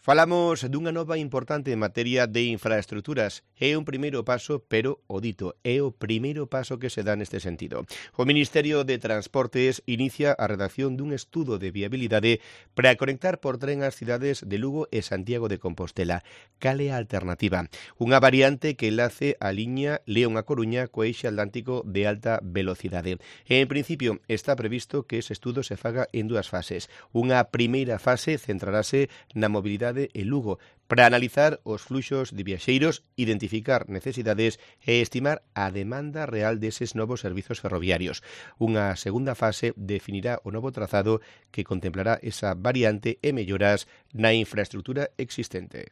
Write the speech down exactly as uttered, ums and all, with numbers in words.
Falamos dunha nova importante en materia de infraestructuras. É un primeiro paso, pero o dito, é o primeiro paso que se dá neste sentido. O Ministerio de Transportes inicia a redacción dun estudo de viabilidade para conectar por tren as cidades de Lugo e Santiago de Compostela. Cal é a alternativa? Unha variante que enlace a liña León a Coruña co eixe atlántico de alta velocidade. En principio, está previsto que ese estudo se faga en dúas fases. Unha primeira fase centrarase na mobilidade en Lugo para analizar os fluxos de viaxeiros, identificar necesidades e estimar a demanda real deses novos servizos ferroviarios. Unha segunda fase definirá o novo trazado que contemplará esa variante e melloras na infraestructura existente.